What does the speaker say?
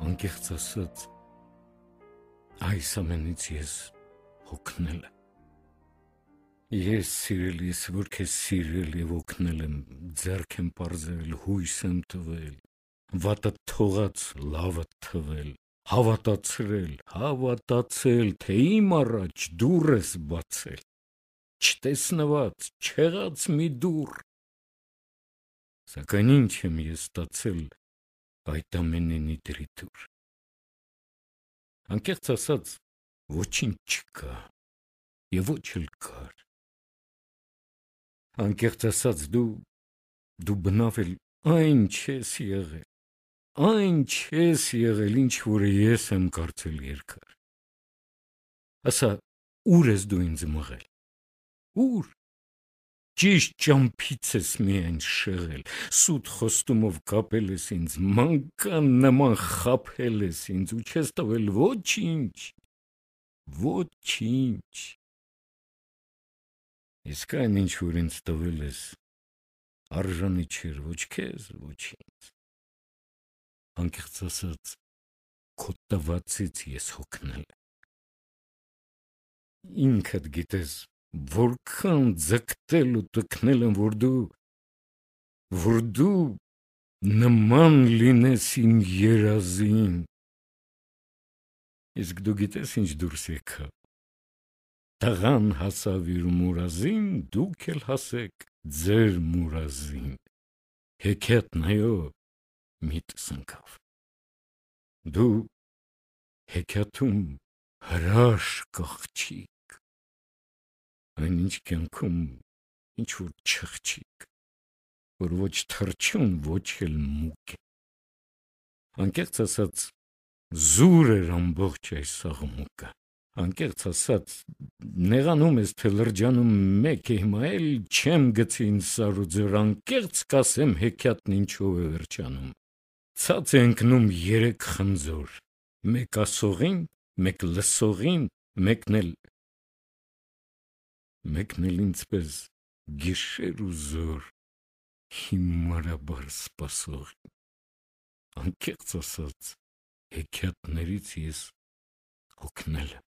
անկեղծ ասած, այս ամենից ես հոգնել եմ։ Ես սիրելիս, որ քեզ սիրել եւ օգնել եմ, ձեռք եմ պարզել, հույս եմ տվել, վատը թողած լավը թվել, հավատացել, թե իմ առաջ դուռ ես բացել, չտեսնված, չեղած մի դուռ, սակայն ինչ եմ ես ստացել այդ ամենի դրիթուր։ Անկեղծ ասած, ոչինչ չկա եւ ոչ էլ կար։ Անկեղծ ասած, դու բնավ էլ այն չես եղել, ինչ որը ես եմ կարծել երկար։ Ասա, ուր ես դու ինձ մղել, ուր, ճիշտ ճամփից ես միայն շեղել, սուտ խոստումով կապել ես ինձ, մանկան նման խաբել ես ինձ ու չես տվել ոչինչ, իսկ այն ինչ որ ինձ տվել ես, արժանի չէր ոչ քեզ, ոչ ինձ։ Անկեղծ ասած, քո տվածից ես հոգնել եմ։ Ինքդ գիտես, որքան ձգտել ու տքնել եմ, որ դու նման լինես իմ երազին։ Իսկ դու գիտես ինչ դուրս եկավ։ Տղան հասավ իր մուրազին, դուք էլ հասեք ձեր մուրազին։ Հեքիաթն այո, միտս ընկավ։ Դու հեքիաթում հրաշք աղջիկ, այնինչ կյանքում ինչ որ չղջիկ, որ ոչ թռչուն, ոչ էլ մուկ է։ Անկեղծ ասած, զուր էր ամբողջ այս աղմուկը։ Անկեղծ ասած, նեղանում ես, թե լրջանում մեկ է, հիմա էլ չեմ գցի ինձ սար ու ձոր, անկեղծ կասեմ հեքիաթն ինչով է վերջանում։ Ցած է ընկնում երեք խնձոր, մեկ ասողին, մեկ լսողին, մեկն էլ ինձպես գիշեր ու զոր, հիմարաբար սպասողին։ Անկեղծ ասած, հեքիաթներից ես հոգնել եմ։